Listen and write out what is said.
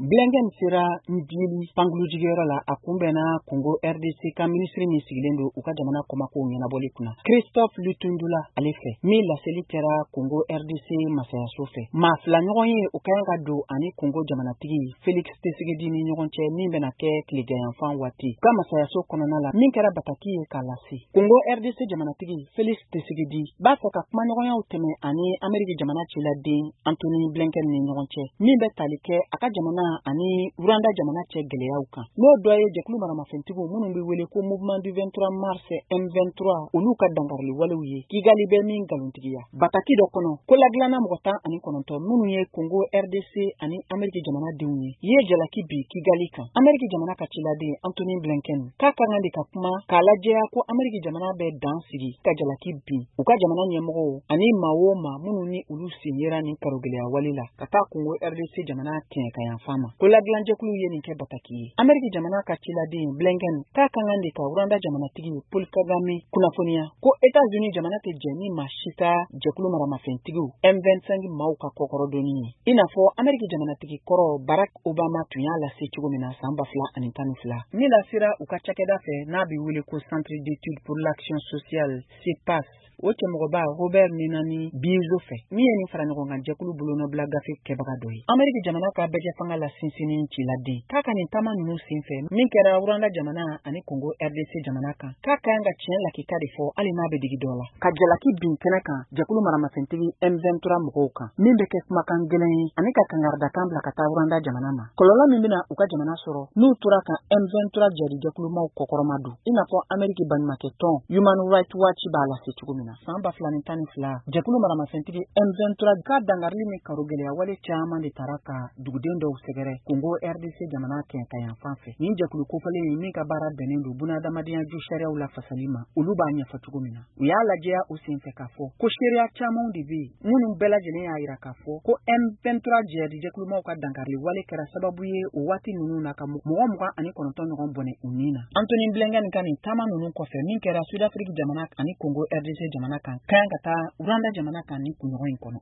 Blinken sera Ndjili pankurunjigiyɔrɔ la, a kunbɛnna Congo RDC ka minisiri min sigilen don u ka jamana kɔmakow ɲɛnabɔli kunna, Christophe Lutundula, ale fɛ, min laseli kɛra Congo RDC masayaso fɛ. Maa fila ɲɔgɔn ye o ka kan ka don ani Congo jamanatigi Felix Tshisekedi ni ɲɔgɔn cɛ, min bɛna kɛ tileganyanfan waati ka masayaso kɔnɔna la, min kɛra bataki ye k'a lase. Congo RDC jamanatigi Felix Tshisekedi b'a fɛ ka kumaɲɔgɔnyaw tɛmɛ ani Ameriki jamana ciladen Antony Blinken ni ɲɔgɔn cɛ, min bɛ tali kɛ a ka jamana ani Rwanda jamana cɛ gɛlɛyaw kan, n'o dɔ ye jɛkulu maramafɛntigiw minnu bɛ wele ko Mouvement du 23 mars M23, olu ka dankarili walew ye Kigali bɛ min nkalontigiya. Bataki dɔ kɔnɔ, ko ladilanna mɔgɔ 19 minnu ye Congo RDC ani Ameriki jamana denw ye, ye jalaki bi Kigali kan. Ameriki jamana ka ciladen Antony Blinken k'a ka kan de ka kuma k'a lajɛya ko Ameriki jamana bɛ dan sigi ka jalaki bin u ka jamana ɲɛmɔgɔw ani maa o maa minnu ni olu sen yera nin karogɛlɛya wale la ka taa Congo RDC jamana kɛɲɛkayanfan ma. Ko ladilanjɛkulu ye nin kɛ bataki ye. Ameriki jamana ka ciladen Blinken k'a ka kan de ka Rwanda jamanatigi Paul Kagame kunnafoniya ko États-Unis jamana tɛ jɛ ni maa si ka jɛkulu maramafɛntigiw M25 maaw ka kɔkɔrɔdonni ye, i n'a fɔ Ameriki jamanatigi kɔrɔ Barack Obama tun y'a lase cogo min na san 2012, min lasera u ka cakɛda fɛ n'a bɛ wele ko Centre d'études pour l'action sociale CEPAS, o cɛmɔgɔba Robert Minani Bizo fɛ, min ye nin fara ɲɔgɔn kan jɛkulu bolonɔbila gafe kɛbaga dɔ ye. Ameriki jamana ka bɛɛjɛ fanga la sinsinni ciladen k'a ka nin taama ninnu senfɛ, min kɛra Rwanda jamana ani Congo RDC jamana kan, k'a ka kan ka tiɲɛ lakika de fɔ, hali n'a bɛ digi dɔ la, ka jalaki bin kɛnɛ kan jɛkulu maramafɛntigi M23 mɔgɔw kan, min bɛ kɛ kumakan gɛlɛn ye, ani ka kangaridakan bila ka taa Rwanda jamana ma, kɔlɔlɔ min bɛna u ka jamana sɔrɔ n'u tora ka M23 jadijɛkulumaw kɔkɔrɔma don, i n'a fɔ Ameriki baɲumankɛ tɔn Human Rights Watch b'a lase cogo min na. San 2012, jɛkulu maramafɛntigi M23 ka dangarili ni karo gɛlɛya wale caman de taara ka duguden dɔw sɛgɛrɛ Congo RDC jamana kɛɲɛkayanfan fɛ. Nin jɛkulu kofɔlen in, min ka baara bɛnnen don bunahadamadenya ju sariyaw lafasali ma, olu b'a ɲɛfɔ cogo min na, u y'a lajɛya o senfɛ k'a fɔ ko seereya camanw de bɛ yen minnu bɛɛ lajɛlen y'a yira k'a fɔ ko M23 jihadi jɛkulumaw ka dankarili wale kɛra sababu ye o waati ninnu na ka mɔgɔ 29 ɲɔgɔn bɔnɛ u ni na. Antony Blinken ka nin taama ninnu kɔfɛ, min kɛra Sud-Afrique jamana ani Congo RDC jamana kan, ka kan ka taa Rwanda jamana kan ni kunɲɔgɔn in kɔnɔ.